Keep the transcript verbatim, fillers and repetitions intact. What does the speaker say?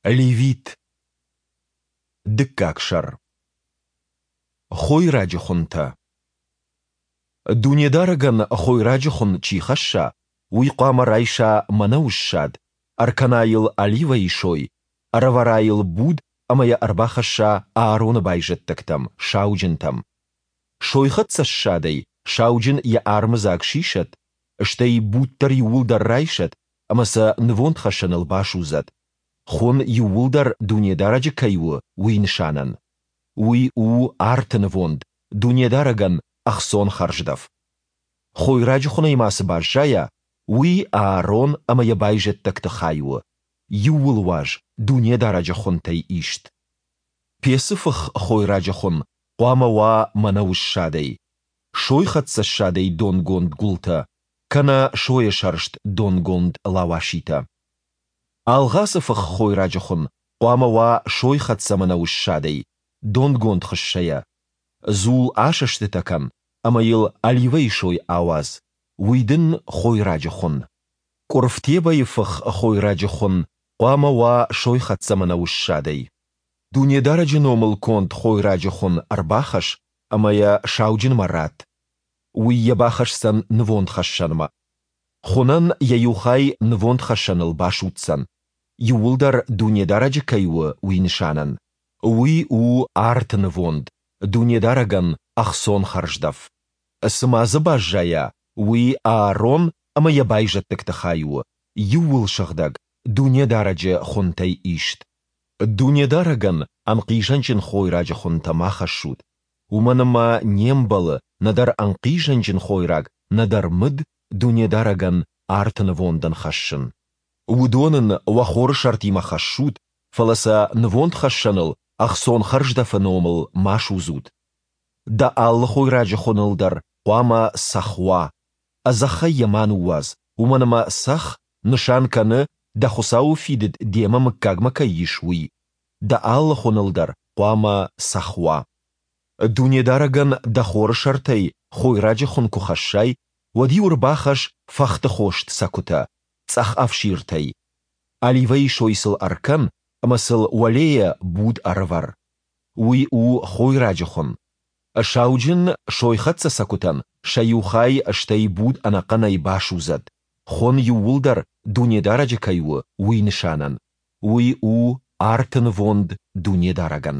Левит. Дыккаг сӕр. Хойраджы хуынтӕ. Дунедарӕгӕн хойраджы хуын чи хӕсса, уый хъуамӕ райса мӕнӕуы ссад, ӕркӕна йыл оливӕйы сой, ӕрӕвӕра йыл буд ӕмӕ йӕ ӕрбахӕсса Аароны байзӕддӕгтӕм, сауджынтӕм. Сойхӕццӕ ссадӕй сауджын йӕ армыдзаг сисӕд, стӕй буд дӕр иууылдӕр райсӕд ӕмӕ сӕ нывондхӕссӕныл басудзӕд, хуын иууылдӕр Дунедарӕджы кӕй у, уый нысанӕн. Уый у арты нывонд, Дунедарӕгӕн ӕхцон хӕрздӕф. Хойраджы хуынӕй ма цы баззайа, уый Аарон ӕмӕ йӕ байзӕддӕгты хай у, иууылуаз Дунедарӕджы хуынтӕй ист. Пецы фых хойраджы хуын хъуамӕ уа мӕнӕуы ссадӕй, сойхӕццӕ ссадӕй донгонд гуылтӕ, кӕнӕ сойӕсӕрст донгонд лауаситӕ. Алгъацы фых хойраджы хуын хъуамӕ уа сойхӕццӕ мӕнӕуы ссадӕй, донгонд хыссӕйӕ. Дзул асӕстытӕ кӕн ӕмӕ йыл оливӕйы сой ауадз, уый дын хойраджы хуын. Къуырф тебӕйы фых хойраджы хуын хъуамӕ уа сойхӕццӕ мӕнӕуы ссадӕй. Дунедарӕджы номыл конд хойраджы хуын ӕрбахӕсс ӕмӕ йӕ сауджынмӕ ратт. Уый йӕ бахӕсдзӕн нывондхӕссӕнмӕ. Хуынӕн йӕ иу хай нывондхӕссӕныл басудздзӕн, иууылдӕр Дунедарӕджы кӕй у, уый нысанӕн. Уый у арты нывонд, Дунедарӕгӕн ӕхцон хӕрздӕф. Цы ма дзы баззайа, уый Аарон ӕмӕ йӕ байзӕддӕгты хай у, иууылсыгъдӕг, Дунедарӕджы хуынтӕй ист. Дунедарӕгӕн ӕнхъизӕнджын хойраджы хуынтӕ ма хӕссут, уымӕн ӕмӕ не мбӕлы нӕдӕр ӕнхъизӕнджын хойраг, нӕдӕр мыд Дунедарӕгӕн арты нывондӕн хӕссын. Уыдон ын уӕ хорысӕртимӕ хӕссут, фӕлӕ сӕ нывондхӕссӕныл ӕхцон хӕрздӕфы номыл ма судзут. Дӕ алы хойраджы хуыныл дӕр хъуамӕ цӕхх уа. Ӕдзӕххӕй йӕ ма ныууадз, уымӕн ӕмӕ цӕхх нысан кӕны, дӕ Хуыцауы фидыд демӕ мыггагмӕ кӕй ис, уый. Дӕ алы хуыныл дӕр хъуамӕ цӕхх уа. Дунедарӕгӕн дӕ хорысӕртӕй хойраджы хуын куы хӕссай, уӕд-иу ӕрбахӕсс фӕхтыхост цӕкуытӕ, цъӕх ӕфсиртӕй. Оливӕйы сой сыл ӕркӕн ӕмӕ сыл уӕлейӕ буд ӕрӕвӕр. Уый у хойраджы хуын. Сауджын сойхӕццӕ цӕкуытӕн сӕ иу хай, стӕй буд ӕнӕхъӕнӕй басудзӕд, хуын иууылдӕр Дунедарӕджы кӕй у, уый нысанӕн. Уый у арты нывонд Дунедарӕгӕн.